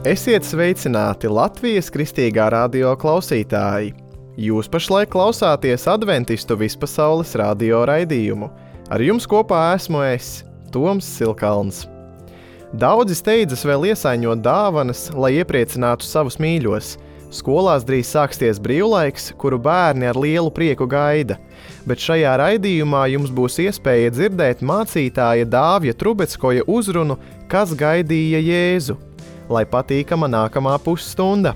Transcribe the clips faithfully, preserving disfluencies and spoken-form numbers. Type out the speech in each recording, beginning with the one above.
Esiet sveicināti Latvijas Kristīgā radio klausītāji! Jūs pašlaik klausāties Adventistu vispasaules radio raidījumu. Ar jums kopā esmu es, Toms Silkalns. Daudzi steidzas vēl iesaiņot dāvanas, lai iepriecinātu savus mīļos. Skolās drīz sāksties brīvlaiks, kuru bērni ar lielu prieku gaida. Bet šajā raidījumā jums būs iespēja dzirdēt mācītāja Dāvja Trubeckoja uzrunu, kas gaidīja Jēzu. Lai patīkama nākamā pusstunda!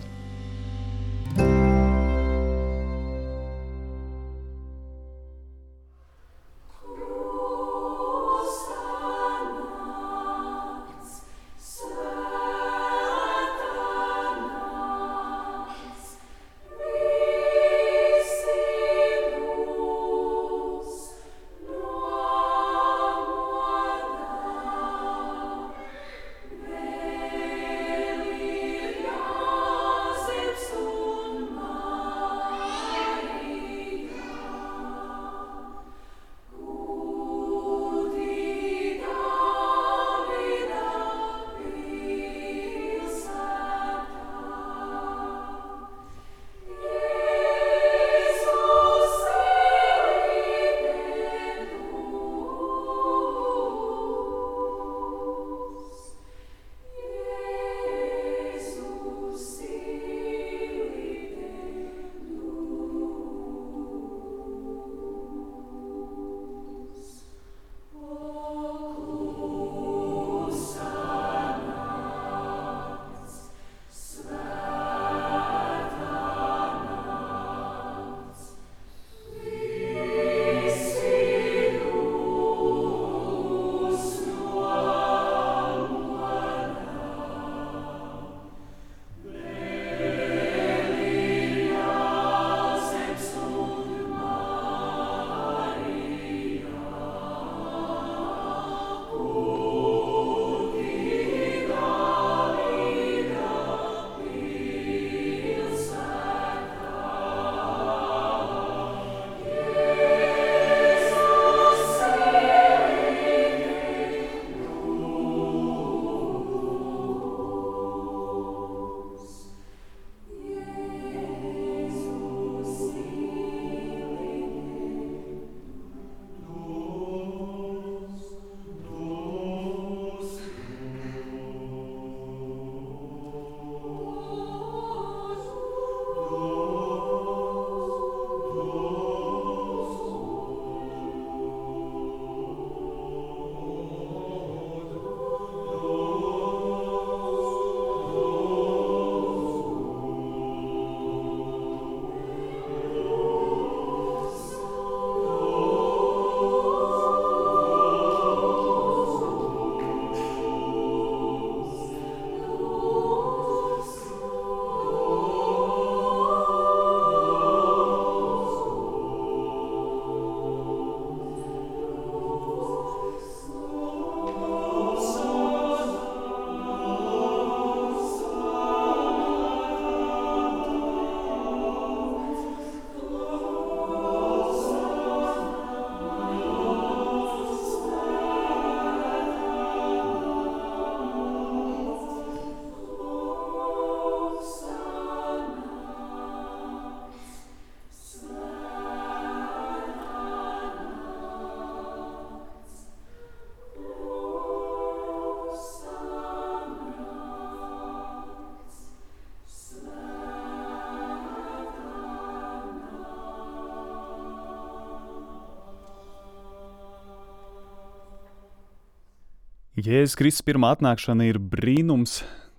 Jēzus Kristus pirmā atnākšana ir brīnums,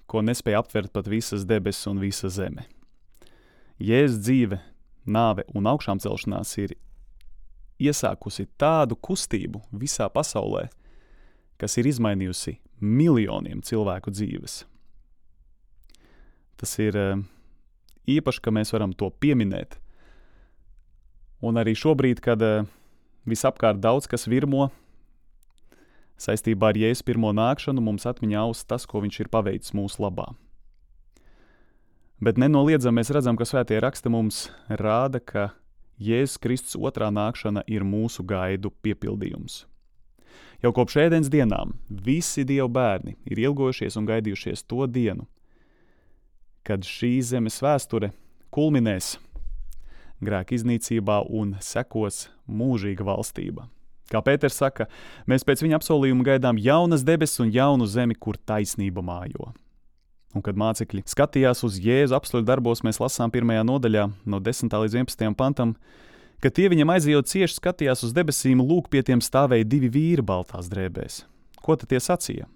ko nespēja aptvert pat visas debesis un visa zeme. Jēzus dzīve, nāve un augšām celšanās ir iesākusi tādu kustību visā pasaulē, kas ir izmainījusi miljoniem cilvēku dzīves. Tas ir īpaši, ka mēs varam to pieminēt. Un arī šobrīd, kad visapkārt daudz kas virmo, saistībā ar Jēzus pirmo nākšanu mums atmiņā aust tas, ko viņš ir paveicis mūsu labā. Bet nenoliedzam mēs redzam, ka svētie raksti mums rāda, ka Jēzus Kristus otrā nākšana ir mūsu gaidu piepildījums. Jau kopš ēdienas dienām visi Dieva bērni ir ilgojušies un gaidījušies to dienu, kad šī zemes vēsture kulminēs grēka iznīcībā un sekos mūžīga valstība. Kā Pēters saka, mēs pēc viņa apsolījuma gaidām jaunas debesis un jaunu zemi, kur taisnība mājo. Un kad mācekļi skatījās uz Jēzu apstuļu darbos, mēs lasām pirmajā nodaļā no desmitā līdz vienpadsmitajam pantam, ka tie viņam aizejot cieši skatījās uz debesīm, lūk, pie tiem stāvēja divi vīri baltās drēbēs. Ko tad tie sacīja?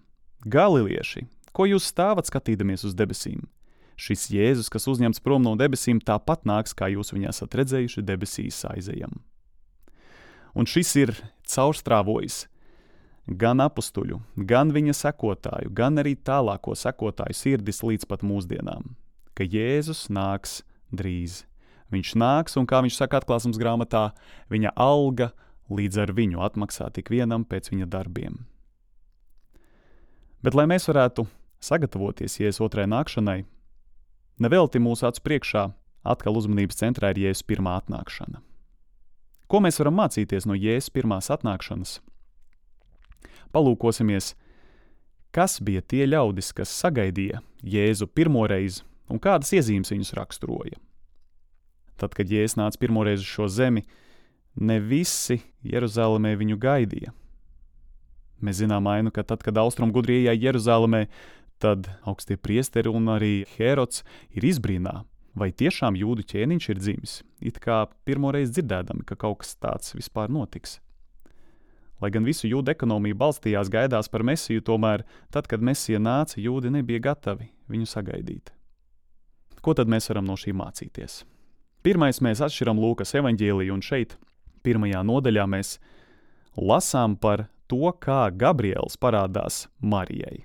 Galilieši, ko jūs stāvat skatīdamies uz debesīm? Šis Jēzus, kas uzņemts prom no debesīm, tāpat nāks, kā jūs viņu esat redzējuši debesīs aizejam. Un šis ir caurstrāvojis gan apustuļu, gan viņa sekotāju, gan arī tālāko sekotāju sirdis līdz pat mūsdienām, ka Jēzus nāks drīz. Viņš nāks, un kā viņš saka atklāsmes grāmatā, viņa alga līdz ar viņu atmaksā tik vienam pēc viņa darbiem. Bet, lai mēs varētu sagatavoties Jēzus otrai nākšanai, nevelti mūsu acu priekšā atkal uzmanības centrā ir Jēzus pirmā atnākšana. Ko mēs varam mācīties no Jēzus pirmās atnākšanas? Palūkosimies, kas bija tie ļaudis, kas sagaidīja Jēzu pirmoreiz un kādas iezīmes viņus raksturoja. Tad, kad Jēzus nāca pirmoreiz uz šo zemi, ne visi Jeruzalemē viņu gaidīja. Mēs zinām ainu, ka tad, kad austrumu gudri iejāja Jeruzalemē, tad augstie priesteri un arī Hērods ir izbrīnā, vai tiešām jūdu ķēniņš ir dzimis, it kā pirmoreiz dzirdēdami, ka kaut kas tāds vispār notiks. Lai gan visu jūdu ekonomiju balstījās gaidās par Mesiju, tomēr tad, kad Mesija nāca, jūdi nebija gatavi viņu sagaidīt. Ko tad mēs varam no šī mācīties? Pirmais, mēs atšķiram Lūkas evaņģēliju, un šeit, pirmajā nodaļā, mēs lasām par to, kā Gabriels parādās Marijai.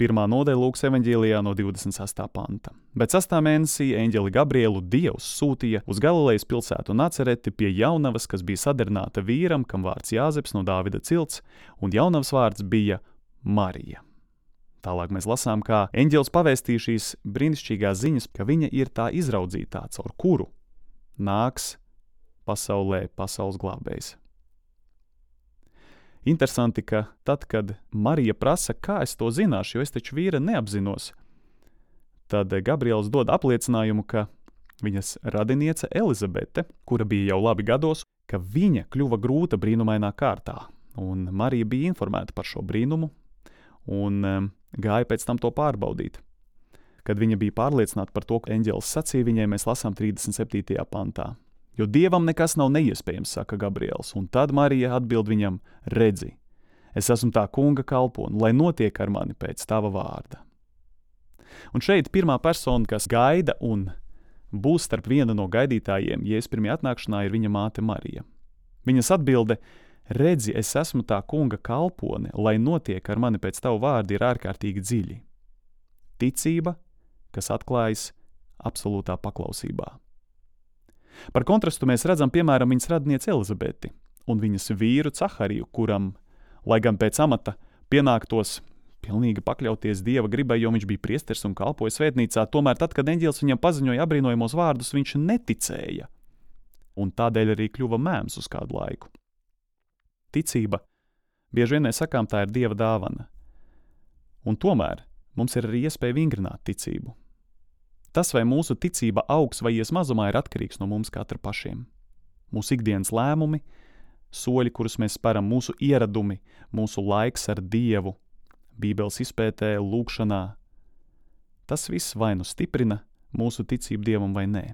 Pirmā nodaļa Lūkas evaņģēlijā no divdesmit sastā panta. Bet sastā mēnesī eņģeli Gabrielu Dievs sūtīja uz Galilejas pilsētu Nacereti pie jaunavas, kas bija sadarināta vīram, kam vārds Jāzeps no Dāvida cilts, un jaunavas vārds bija Marija. Tālāk mēs lasām, kā eņģelis pavēstīja šīs brīnišķīgās ziņas, ka viņa ir tā izraudzītā, caur kuru nāks pasaulē pasaules glābējs. Interesanti, ka tad, kad Marija prasa, kā es to zināšu, jo es taču vīra neapzinos, tad Gabriels dod apliecinājumu, ka viņas radiniece Elizabete, kura bija jau labi gados, ka viņa kļuva grūta brīnumainā kārtā. Un Marija bija informēta par šo brīnumu un um, gāja pēc tam to pārbaudīt. Kad viņa bija pārliecināta par to, ka eņģelis sacīja viņai, mēs lasām trīsdesmit septītajā pantā. Jo Dievam nekas nav neiespējams, saka Gabriels, un tad Marija atbild viņam, redzi, es esmu tā kunga kalpone, lai notiek ar mani pēc tava vārda. Un šeit pirmā persona, kas gaida un būs starp viena no gaidītājiem, Jēzus pirmajā atnākšanā, ir viņa māte Marija. Viņas atbilde, redzi, es esmu tā kunga kalpone, lai notiek ar mani pēc tava vārda, ir ārkārtīgi dziļi. Ticība, kas atklājas absolūtā paklausībā. Par kontrastu mēs redzam, piemēram, viņas radnieci Elizabeti un viņas vīru Cahariju, kuram, lai gan pēc amata pienāktos pilnīgi pakļauties Dieva gribai, jo viņš bija priesteris un kalpoja svētnīcā, tomēr tad, kad eņģelis viņam paziņoja apbrīnojamos vārdus, viņš neticēja, un tādēļ arī kļuva mēms uz kādu laiku. Ticība, bieži vien mēs sakām, tā ir Dieva dāvana, un tomēr mums ir arī iespēja vingrināt ticību. Tas, vai mūsu ticība augs vai ies mazumā, ir atkarīgs no mums katra pašiem. Mūsu ikdienas lēmumi, soļi, kurus mēs speram, mūsu ieradumi, mūsu laiks ar Dievu, Bībeles izpētē, lūkšanā, tas viss vai nu stiprina mūsu ticību Dievam vai nē.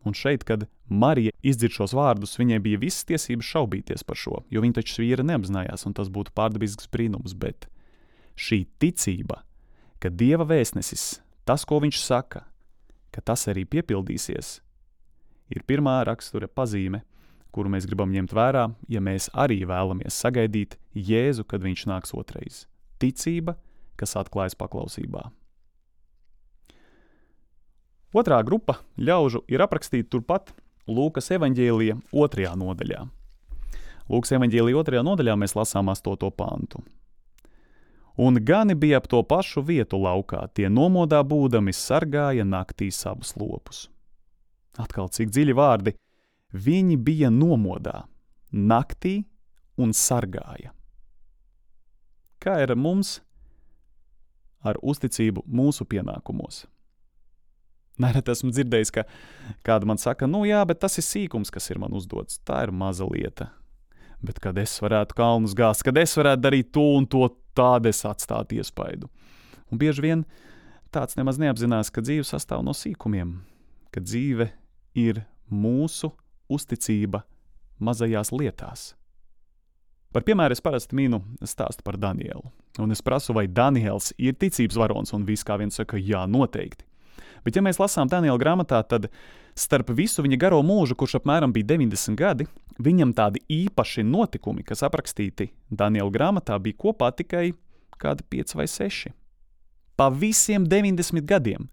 Un šeit, kad Marija izdzird šos vārdus, viņai bija visas tiesības šaubīties par šo, jo viņa taču vīra neapzinājās, un tas būtu pārdabisks brīnums, bet šī ticība, ka Dieva vēstnesis, tas, ko viņš saka, ka tas arī piepildīsies, ir pirmā rakstura pazīme, kuru mēs gribam ņemt vērā, ja mēs arī vēlamies sagaidīt Jēzu, kad viņš nāks otrais. Ticība, kas atklājas paklausībā. Otrā grupa ļaužu ir aprakstīta turpat Lūkas evaņģēlija otrajā nodaļā. Lūkas evaņģēlija otrajā nodaļā mēs lasām astoto pantu. Un gani bija ap to pašu vietu laukā, tie nomodā būdami sargāja naktī savus lopus. Atkal cik dziļi vārdi, viņi bija nomodā, naktī un sargāja. Kā ir mums ar uzticību mūsu pienākumos? Nereti esmu dzirdējis, ka kāda man saka, nu jā, bet tas ir sīkums, kas ir man uzdots. Tā ir maza lieta. Bet kad es varētu kalnus gāzt, kad es varētu darīt to un to, tādu es atstātu iespaidu. Un bieži vien tāds nemaz neapzinās, ka dzīve sastāv no sīkumiem, ka dzīve ir mūsu uzticība mazajās lietās. Par piemēru es parasti minu stāstu par Danielu. Un es prasu, vai Daniels ir ticības varons, un viss kā viens saka, jā, noteikti. Bet ja mēs lasām Daniela grāmatā, tad starp visu viņa garo mūžu, kurš apmēram bija deviņdesmit gadi, viņam tādi īpaši notikumi, kas aprakstīti Daniela grāmatā, bija kopā tikai kādi pieci vai seši. Pa visiem deviņdesmit gadiem.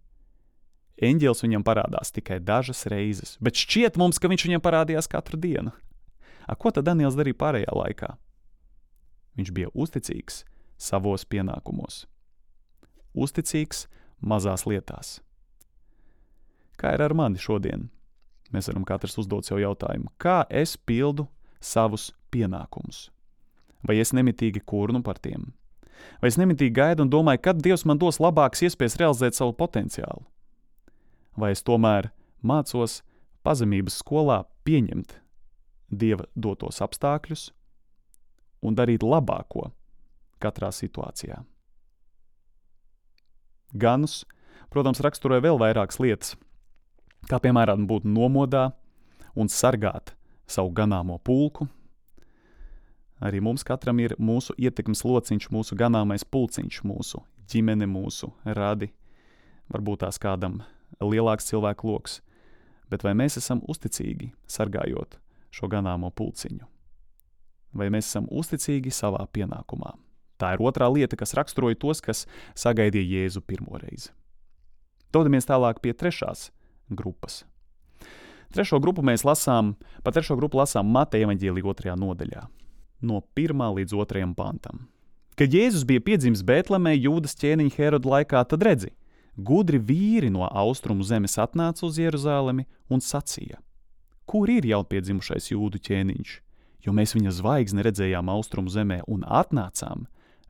Eņģelis viņam parādās tikai dažas reizes, bet šķiet mums, ka viņš viņam parādījās katru dienu. A, ko tad Daniels darīja pārējā laikā? Viņš bija uzticīgs savos pienākumos. Uzticīgs mazās lietās. Kā ir ar mani šodien? Mēs varam katrs uzdot sev jautājumu, kā es pildu savus pienākumus? Vai es nemitīgi kurnu par tiem? Vai es nemitīgi gaidu un domāju, kad Dievs man dos labākas iespējas realizēt savu potenciālu? Vai es tomēr mācos pazemības skolā pieņemt Dieva dotos apstākļus un darīt labāko katrā situācijā? Ganus, protams, raksturoja vēl vairākas lietas, kā piemēram būt nomodā un sargāt savu ganāmo pulku. Arī mums katram ir mūsu ietekmes lociņš, mūsu ganāmais pulciņš, mūsu ģimene, mūsu radi. Varbūt tās kādam lielāks cilvēku loks, bet vai mēs esam uzticīgi sargājot šo ganāmo pulciņu? Vai mēs esam uzticīgi savā pienākumā? Tā ir otrā lieta, kas raksturoja tos, kas sagaidīja Jēzu pirmoreiz. Dodamies tālāk pie trešās grupas. Trešo grupu mēs lasām, pa trešo grupu lasām Mateja evaņģēlija otrajā nodaļā, no pirmā līdz otrajam pantam. Kad Jēzus bija piedzimis Bētlemē Jūdas ķēniņa Heroda laikā, tad redzi, gudri vīri no austrumu zemes atnāca uz Jeruzalemi un sacīja: Kur ir jaunpiedzimušais Jūdu ķēniņš? Jo mēs viņa zvaigzni redzējām austrumu zemē un atnācām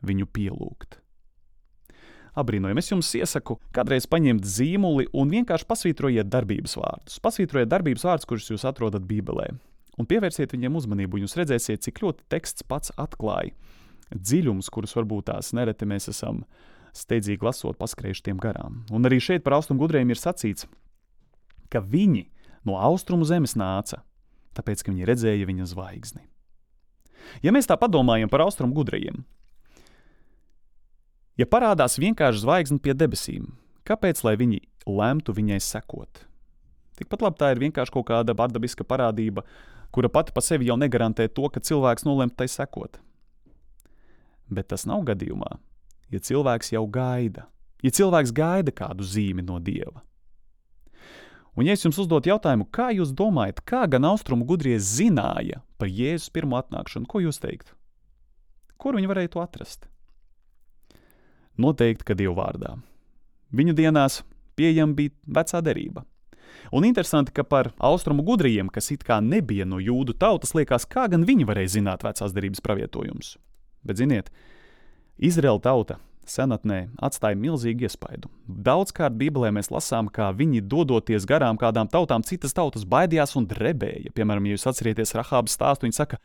viņu pielūgt. Abrīnojami, es jums iesaku kādreiz paņemt zīmuli un vienkārši pasvītrojiet darbības vārdus. Pasvītrojiet darbības vārdus, kurus jūs atrodat Bībelē, un pievērsiet viņiem uzmanību, un jūs redzēsiet, cik ļoti teksts pats atklāja dziļumus, kurus varbūt tās nereti mēs esam steidzīgi lasot paskrējuši tiem garām. Un arī šeit par austrumu gudriem ir sacīts, ka viņi no austrumu zemes nāca, tāpēc, ka viņi redzēja viņa zvaigzni. Ja mēs tā padomājam par austrumu gudrajiem, ja parādās vienkārši zvaigzni pie debesīm, kāpēc, lai viņi lemtu viņai sekot? Tikpat labi tā ir vienkārši kaut kāda bardabiska parādība, kura pati pa sevi jau negarantē to, ka cilvēks nolemtu tai sekot. Bet tas nav gadījumā, ja cilvēks jau gaida, ja cilvēks gaida kādu zīmi no Dieva. Un ja es jums uzdot jautājumu, kā jūs domājat, kā gan austrumu gudrie zināja par Jēzus pirmo atnākšanu, ko jūs teiktu? Kur viņi varēja to atrast? Noteikti, ka Dieva vārdā. Viņu dienās pieejama bija vecā derība. Un interesanti, ka par austrumu gudriem, kas it kā nebija no jūdu tautas, liekas, kā gan viņi varēja zināt vecās derības pravietojumus. Bet ziniet, Izraēla tauta senatnē atstāja milzīgu iespaidu. Daudzkārt Bībelē mēs lasām, kā viņi dodoties garām kādām tautām, citas tautas baidījās un drebēja. Piemēram, ja jūs atcerieties Rahābas stāstu, viņi saka,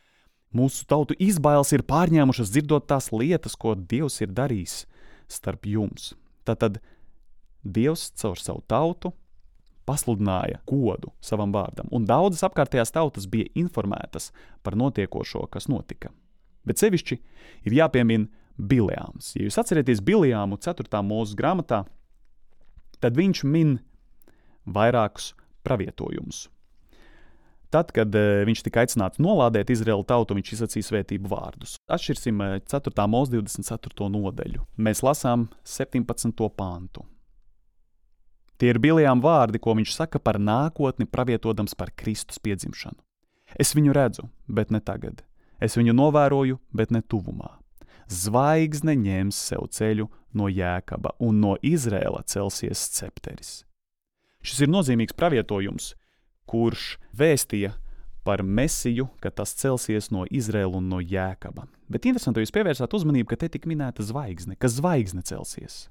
mūsu tautu izbailes ir pārņēmušas dzirdot tās lietas, ko Dievs ir darījis starp jums. Tātad Dievs caur savu tautu pasludināja godu savam vārdam, un daudzas apkārtējās tautas bija informētas par notiekošo, kas notika. Bet sevišķi ir jāpiemina Bileāms. Ja jūs atcerieties Bileāmu ceturtā mūzes grāmatā, tad viņš min vairākus pravietojumus. Tad, kad uh, viņš tika aicināts nolādēt Izraēlu tautu, viņš izsacīja svētību vārdus. Atšķirsim uh, ceturtā mūzes divdesmit ceturto nodaļu. Mēs lasām septiņpadsmito pantu. Tie ir Bileāma vārdi, ko viņš saka par nākotni, pravietodams par Kristus piedzimšanu. Es viņu redzu, bet ne tagad. Es viņu novēroju, bet ne tuvumā. Zvaigzne ņems sev ceļu no Jēkaba, un no Izraēla celsies scepteris. Šis ir nozīmīgs pravietojums, kurš vēstīja par Mesiju, ka tas celsies no Izraēla un no Jēkaba. Bet interesanti, jūs pievērsāt uzmanību, ka te tik minēta zvaigzne, ka zvaigzne celsies.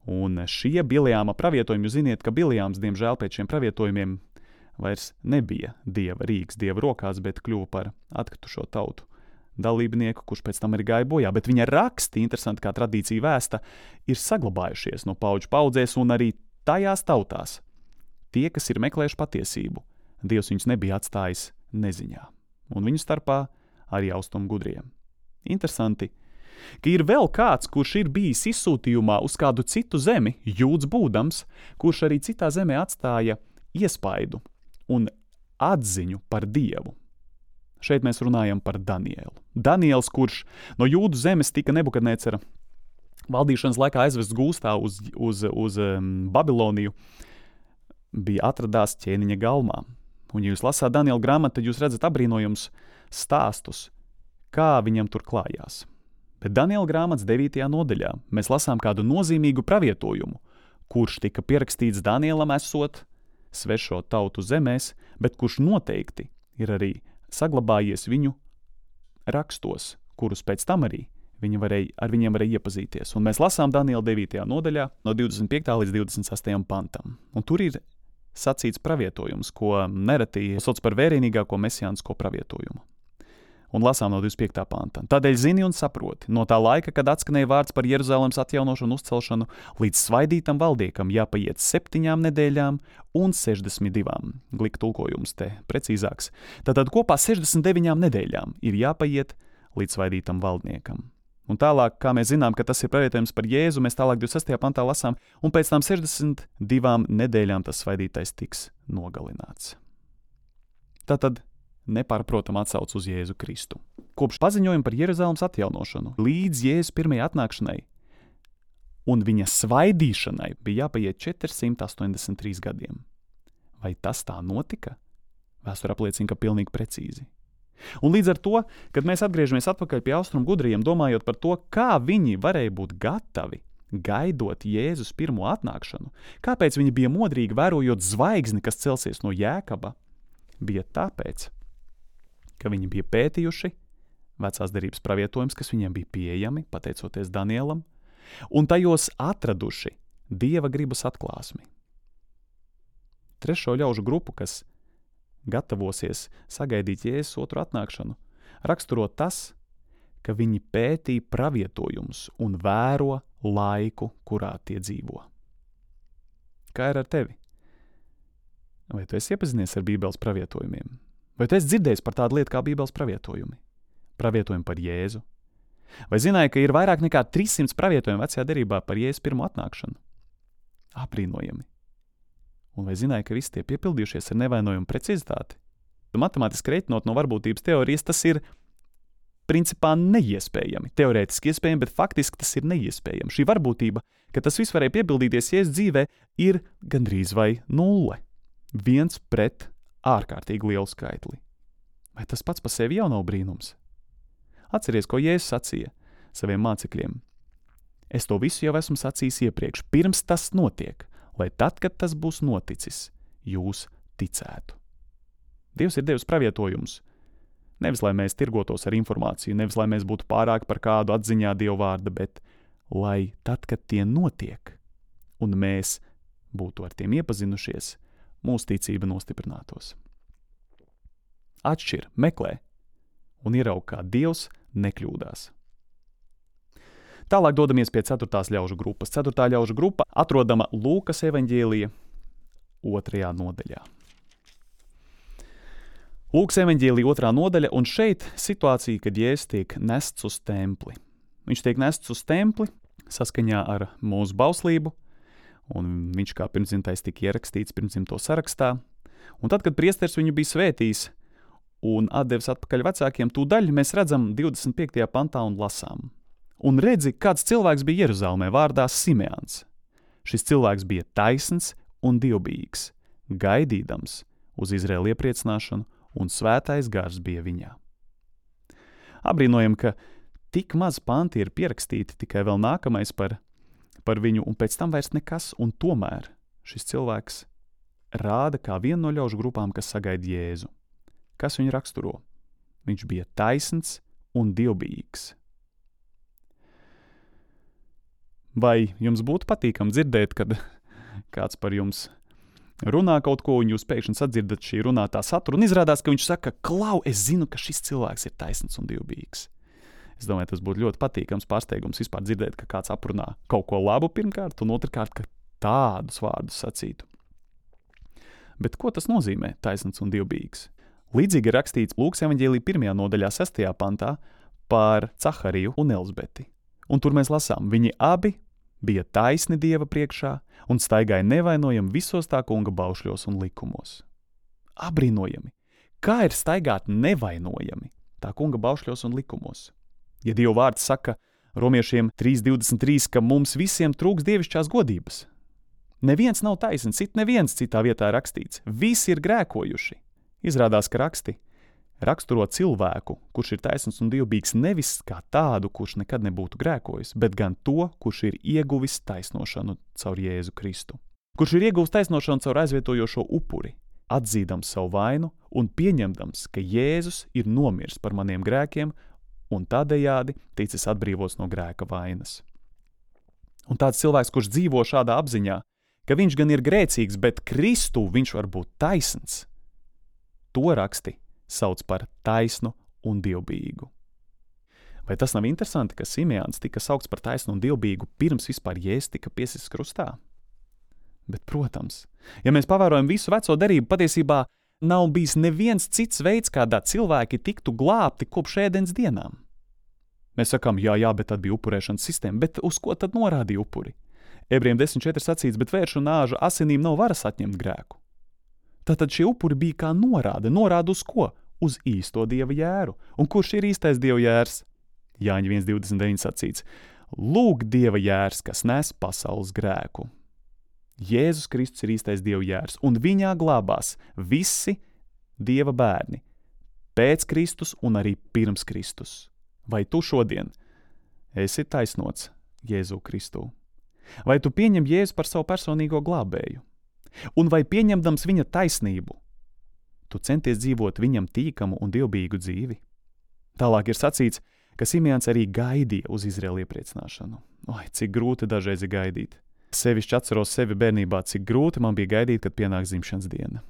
Un šie Bileāma pravietojumi, jūs ziniet, ka Bileāms, diemžēl, pēc šiem pravietojumiem vairs nebija dieva rīks, dieva rokās, bet kļuva par atkritušo tautu dalībnieku, kurš pēc tam arī gāja bojā. Bet viņa raksti, interesanti kā tradīcija vēsta, ir saglabājušies no paudžu paudzēs un arī tajās tautās. Tie, kas ir meklējuši patiesību, Dievs viņus nebija atstājis neziņā. Un viņu starpā arī austrumu gudriem. Interesanti, ka ir vēl kāds, kurš ir bijis izsūtījumā uz kādu citu zemi, jūds būdams, kurš arī citā zemē atstāja iespaidu un atziņu par Dievu. Šeit mēs runājam par Danielu. Daniels, kurš no jūdu zemes tika Nebukadnecera valdīšanas laikā aizvests gūstā uz, uz, uz um, Babiloniju, bija atradās ķēniņa galmā. Un, ja jūs lasāt Daniela grāmatu, tad jūs redzat apbrīnojums stāstus, kā viņam tur klājās. Bet Daniela grāmatas devītajā nodaļā mēs lasām kādu nozīmīgu pravietojumu, kurš tika pierakstīts Danielam esot svešo tautu zemēs, bet kurš noteikti ir arī saglabājies viņu rakstos, kurus pēc tam arī viņi varēja, ar viņiem varēja iepazīties. Un mēs lasām Daniela devītajā nodaļā no divdesmit piektā līdz divdesmit sastajam pantam. Un tur ir sacīts pravietojums, ko nereti sauc par vērienīgāko mesijānisko pravietojumu. Un lasām no divdesmit piektā panta. Tādēļ zini un saproti, no tā laika, kad atskanēja vārds par Jeruzalemes atjaunošanu un uzcelšanu, līdz svaidītam valdniekam jāpaiet septiņām nedēļām un sešdesmit divām. Glika tulkojums te precīzāks. Tātad kopā sešdesmit deviņām nedēļām ir jāpaiet līdz svaidītam valdniekam. Un tālāk, kā mēs zinām, ka tas ir pravietojums par Jēzu, mēs tālāk divdesmit sestajā pantā lasām, un pēc tam sešdesmit divām nedēļām tas svaidītais tiks nogalināts. Tātad nepārprotam atsauc uz Jēzu Kristu. Kopš paziņojuma par Jeruzalemes atjaunošanu līdz Jēzus pirmajai atnākšanai un viņa svaidīšanai bija jāpaiet četri simti astoņdesmit trīs gadiem. Vai tas tā notika? Vēsture apliecina, ka pilnīgi precīzi. Un līdz ar to, kad mēs atgriežamies atpakaļ pie austrumu gudriem, domājot par to, kā viņi varēja būt gatavi gaidot Jēzus pirmo atnākšanu, kāpēc viņi bija modrīgi vērojot zvaigzni, kas celsies no Jēkaba, bija tāpēc, ka viņi bija pētījuši vecās derības pravietojums, kas viņiem bija pieejami, pateicoties Danielam, un tajos atraduši Dieva gribas atklāsmi. Trešo ļaužu grupu, kas gatavosies sagaidīt Jēzus otru atnākšanu, raksturo tas, ka viņi pētīja pravietojumus un vēro laiku, kurā tie dzīvo. Kā ir ar tevi? Vai tu esi iepazinies ar Bībeles pravietojumiem? Vai tu esi dzirdējis par tādu lietu kā Bībeles pravietojumi? Pravietojumi par Jēzu? Vai zināji, ka ir vairāk nekā trīs simti pravietojumi vecajā derībā par Jēzus pirmo atnākšanu? Aprīnojami. Un vai zināji, ka visi tie piepildījušies ar nevainojumu precizitāti? Matemātiski reiķinot no varbūtības teorijas, tas ir principā neiespējami. Teorētiski iespējami, bet faktiski tas ir neiespējami. Šī varbūtība, ka tas viss varēja piepildīties Jēzus dzīvē, ir gandrīz vai nulle. Viens pret ārkārtīgi lielu skaitli. Vai tas pats par sevi jau nav brīnums? Atceries, ko Jēzus sacīja saviem mācekļiem. Es to visu jau esmu sacījis iepriekš, pirms tas notiek, lai tad, kad tas būs noticis, jūs ticētu. Dievs ir devis pravietojumus. Nevis, lai mēs tirgotos ar informāciju, nevis, lai mēs būtu pārāk par kādu atziņā Dieva vārda, bet lai tad, kad tie notiek, un mēs būtu ar tiem iepazinušies, mūsu ticība nostiprinātos. Atšķir, meklē un ieraug, kā Dievs nekļūdās. Tālāk dodamies pie ceturtās ļaužu grupas. Ceturtā ļaužu grupa atrodama Lūkas evaņģēlija otrajā nodaļā. Lūkas evaņģēlija otrā nodaļa, un šeit situācija, kad Jēzus tiek nests uz templi. Viņš tiek nests uz templi saskaņā ar mūsu bauslību, un viņš kā pirmdzimtais tika ierakstīts pirmdzimto sarakstā. Un tad, kad priesteris viņu bija svētījis un atdevis atpakaļ vecākiem, tūdaļ mēs redzam divdesmit piektajā pantā un lasām. Un redzi, kāds cilvēks bija Jeruzalemē vārdā Simeons. Šis cilvēks bija taisns un dievbijīgs, gaidīdams uz Izraēlu iepriecināšanu, un svētais gars bija viņā. Abrīnojam, ka tik maz panti ir pierakstīti, tikai vēl nākamais par, par viņu, un pēc tam vairs nekas, un tomēr šis cilvēks rāda kā vienu no ļaužu grupām, kas sagaida Jēzu. Kas viņu raksturo? Viņš bija taisns un dievbijīgs. Vai jums būtu patīkami dzirdēt, kad kāds par jums runā kaut ko, un jūs pēkšņi sadzirdat šī runātā satura, un izrādās, ka viņš saka, klau, es zinu, ka šis cilvēks ir taisns un dievbijīgs. Es domāju, tas būtu ļoti patīkams pārsteigums vispār dzirdēt, ka kāds aprunā kaut ko labu pirmkārt, un otrkārt, ka tādus vārdus sacītu. Bet ko tas nozīmē, taisns un dievbijīgs? Līdzīgi ir rakstīts Lūkas evaņģēlija pirmajā nodaļā sestajā pantā par Cahariju un Elzbeti. Un tur mēs lasām, viņi abi bija taisni Dieva priekšā un staigāja nevainojami visos tā kunga baušļos un likumos. Abrīnojami! Kā ir staigāt nevainojami tā kunga baušļos un likumos? Ja Dieva vārds saka romiešiem trīs divdesmit trīs, ka mums visiem trūks dievišķās godības. Neviens nav taisns, it neviens citā vietā rakstīts. Visi ir grēkojuši. Izrādās, ka raksti raksturo cilvēku, kurš ir taisns un dievbijīgs nevis kā tādu, kurš nekad nebūtu grēkojis, bet gan to, kurš ir ieguvis taisnošanu caur Jēzu Kristu. Kurš ir ieguvis taisnošanu caur aizvietojošo upuri, atzīdams savu vainu un pieņemdams, ka Jēzus ir nomirs par maniem grēkiem un tādējādi ticis atbrīvots no grēka vainas. Un tāds cilvēks, kurš dzīvo šādā apziņā, ka viņš gan ir grēcīgs, bet Kristū viņš var būt taisns, to raksti sauc par taisnu un dievbijīgu. Vai tas nav interesanti, ka Simeons tika saukts par taisnu un dievbijīgu pirms vispār Jēzus tika piesists krustā? Bet, protams, ja mēs pavērojam visu veco derību, patiesībā nav bijis neviens cits veids, kādā cilvēki tiktu glābti kopš ēdens dienām. Mēs sakām, jā, jā, bet tad bija upurēšanas sistēma, bet uz ko tad norādīja upuri? Ebrejiem desmit četri sacīts, bet vēršu nāžu asinīm nav varas atņemt grēku. Tātad šie upuri bija kā norāde. Norāda uz ko? Uz īsto Dieva jēru. Un kurš ir īstais Dieva jērs? Jāņa viens divdesmit deviņi sacīts. Lūk Dieva jērs, kas nes pasaules grēku. Jēzus Kristus ir īstais Dieva jērs, un viņā glābās visi Dieva bērni. Pēc Kristus un arī pirms Kristus. Vai tu šodien esi taisnots Jēzu Kristū? Vai tu pieņem Jēzu par savu personīgo glābēju? Un vai pieņemdams viņa taisnību, tu centies dzīvot viņam tīkamu un dievbijīgu dzīvi? Tālāk ir sacīts, ka Simeons arī gaidīja uz Izraēlu iepriecināšanu. Oi, cik grūti dažreiz ir gaidīt. Sevišķi atceros sevi bērnībā, cik grūti man bija gaidīt, kad pienāk dzimšanas diena.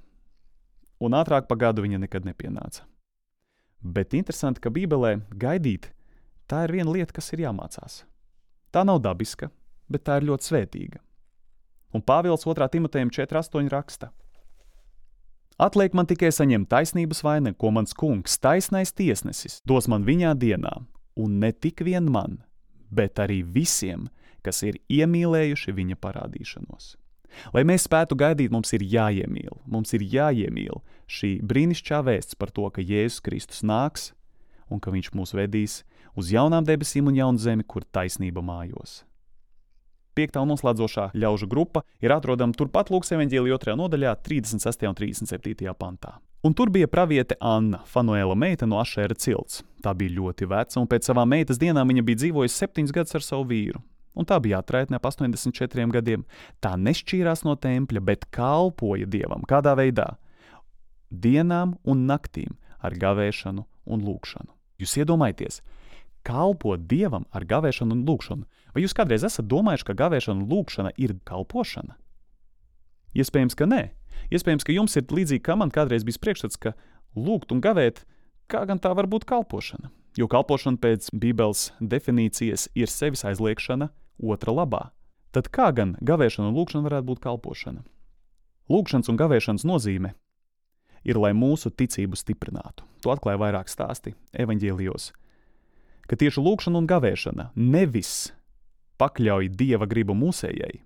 Un ātrāk pa gadu viņa nekad nepienāca. Bet interesanti, ka Bībelē gaidīt, tā ir viena lieta, kas ir jāmācās. Tā nav dabiska, bet tā ir ļoti svētīga. Un Pāvils otrā Timotejam četri astoņi raksta. Atliek man tikai saņemt taisnības vainagu, ko mans kungs, taisnais tiesnesis, dos man viņā dienā, un ne tik vien man, bet arī visiem, kas ir iemīlējuši viņa parādīšanos. Lai mēs spētu gaidīt, mums ir jāiemīl, mums ir jāiemīl šī brīnišķā vēsts par to, ka Jēzus Kristus nāks un ka viņš mūs vedīs uz jaunām debesīm un jaunu zemi, kur taisnība mājos. Piektā un noslēdzošā ļaužu grupa ir atrodama turpat Lūkas evaņģēlija otrajā nodaļā, trīsdesmit sestajā un trīsdesmit septītajā pantā. Un tur bija praviete Anna, Fanuēla meita no Ašēra cilts. Tā bija ļoti veca, un pēc savām meitas dienām viņa bija dzīvojusi septiņus gadus ar savu vīru. Un tā bija atraitne ap astoņdesmit četriem gadiem. Tā nešķīrās no tempļa, bet kalpoja Dievam. Kādā veidā? Dienām un naktīm ar gavēšanu un lūgšanu. Jūs iedomājieties, kalpot Dievam ar gavēšanu un lūgšanu. Vai jūs kādreiz esat domājuši, ka gavēšana un lūgšana ir kalpošana? Iespējams, ka nē. Iespējams, ka jums ir līdzīgi, kā man kādreiz bija priekšstats, ka lūgt un gavēt, kā gan tā var būt kalpošana. Jo kalpošana pēc Bībeles definīcijas ir sevis aizliekšana otra labā. Tad kā gan gavēšana un lūgšana varētu būt kalpošana? Lūgšanas un gavēšanas nozīme ir, lai mūsu ticību stiprinātu. To atklāja vairāk stāsti evaņģēlijos. Ka tieši lūgšana un gavēšana nevis pakļauj Dieva gribu mūsējai.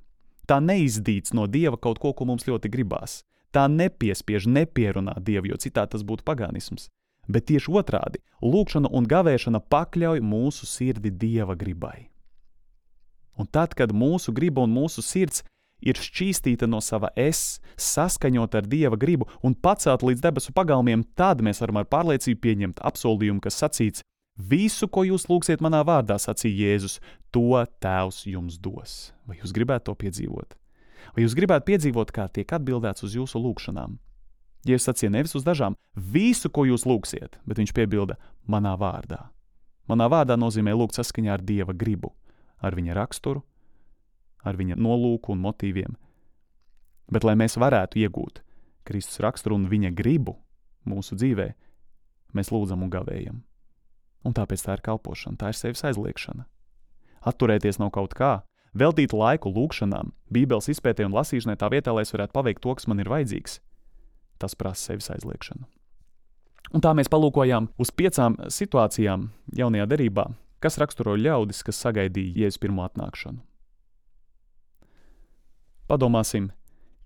Tā neizdīts no Dieva kaut ko, ko mums ļoti gribās. Tā nepiespiež, nepierunā Dievu, jo citā tas būtu pagānisms. Bet tieši otrādi, lūgšana un gavēšana pakļauj mūsu sirdi Dieva gribai. Un tad, kad mūsu griba un mūsu sirds ir šķīstīta no sava es, saskaņot ar Dieva gribu un pacelt līdz debesu pagalmiem, tad mēs varam ar pārliecību pieņemt apsoldījumu, kas sacīts: visu, ko jūs lūgsiet manā vārdā, sacīja Jēzus, to Tēvs jums dos. Vai jūs gribētu to piedzīvot? Vai jūs gribētu piedzīvot, kā tiek atbildēts uz jūsu lūgšanām? Jēzus sacīja nevis uz dažām, visu, ko jūs lūgsiet, bet viņš piebilda manā vārdā. Manā vārdā nozīmē lūgt saskaņā ar Dieva gribu, ar viņa raksturu, ar viņa nolūku un motīviem, bet lai mēs varētu iegūt Kristus raksturu un viņa gribu mūsu dzīvē, mēs lūdzam un gavējam. Un tāpēc tā ir kalpošana, tā ir sevis aizliekšana. Atturēties no kaut kā, veltīt laiku lūkšanām, Bībeles izpētē un lasīšanai tā vietā, lai es varētu paveikt to, kas man ir vajadzīgs. Tas prasa sevis aizliekšanu. Un tā mēs palūkojām uz piecām situācijām jaunajā derībā, kas raksturo ļaudis, kas sagaidīja Jēzus pirmo atnākšanu. Padomāsim,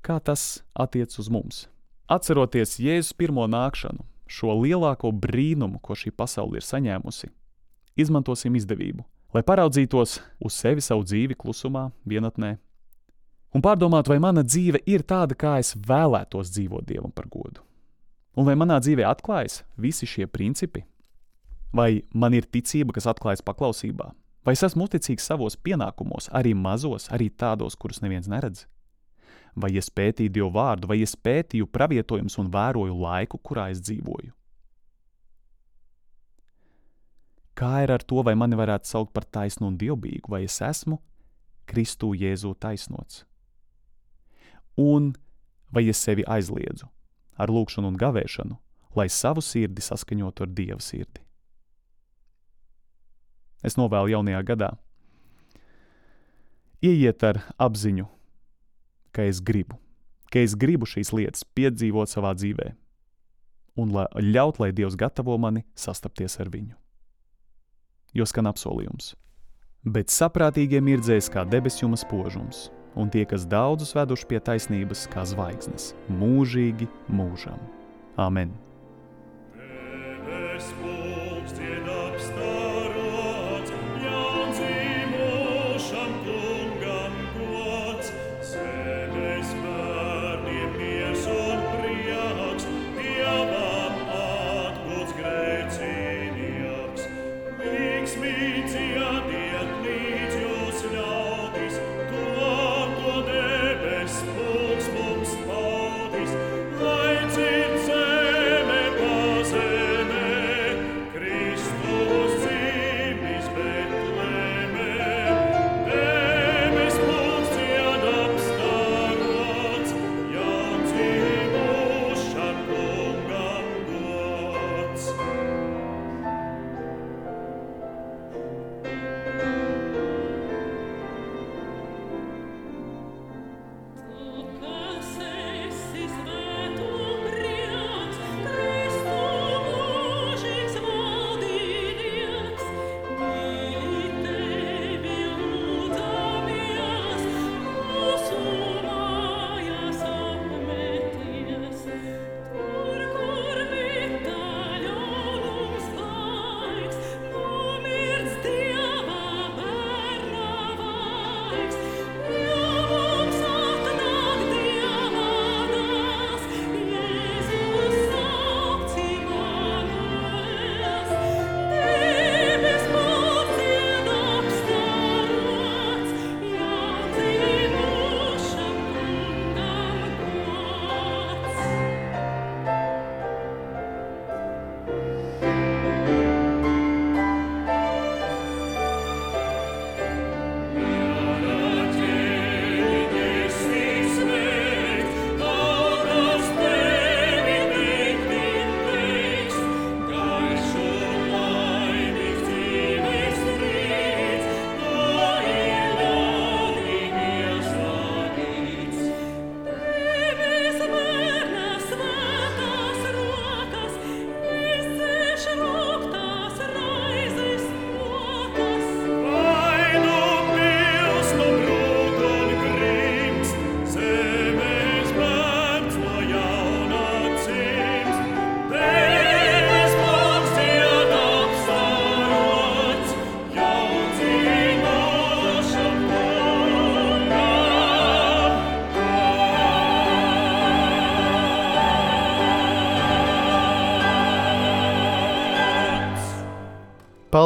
kā tas attiec uz mums. Atceroties Jēzus pirmo nākšanu, šo lielāko brīnumu, ko šī pasaule ir saņēmusi, izmantosim izdevību, lai paraudzītos uz sevi savu dzīvi klusumā, vienatnē, un pārdomātu, vai mana dzīve ir tāda, kā es vēlētos dzīvot Dievam par godu. Un vai manā dzīvē atklājas visi šie principi? Vai man ir ticība, kas atklājas paklausībā? Vai es esmu uzticīgs savos pienākumos, arī mazos, arī tādos, kurus neviens neredz? Vai es pētīju Dievu vārdu, vai es pētīju pravietojumus un vēroju laiku, kurā es dzīvoju? Kā ir ar to, vai mani varētu saukt par taisnu un dievbijīgu, vai es esmu Kristū Jēzū taisnots? Un vai es sevi aizliedzu ar lūkšanu un gavēšanu, lai savu sirdi saskaņotu ar Dieva sirdi? Es novēlu jaunajā gadā ieiet ar apziņu, ka es gribu, ka es gribu šīs lietas piedzīvot savā dzīvē un la, ļaut, lai Dievs gatavo mani sastapties ar viņu. Jo skan apsolījums. Bet saprātīgie mirdzēs kā debesjuma spožums, un tie, kas daudzus veduši pie taisnības, kā zvaigznes, mūžīgi mūžam. Amen.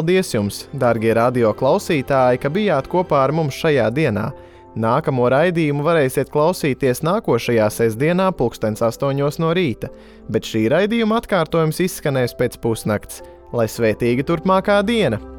Paldies jums, dārgie radio klausītāji, ka bijāt kopā ar mums šajā dienā. Nākamo raidījumu varēsiet klausīties nākošajā sestdienā pulkstens astoņos no rīta, bet šī raidījuma atkārtojums izskanēs pēc pusnakts. Lai svētīga turpmākā diena!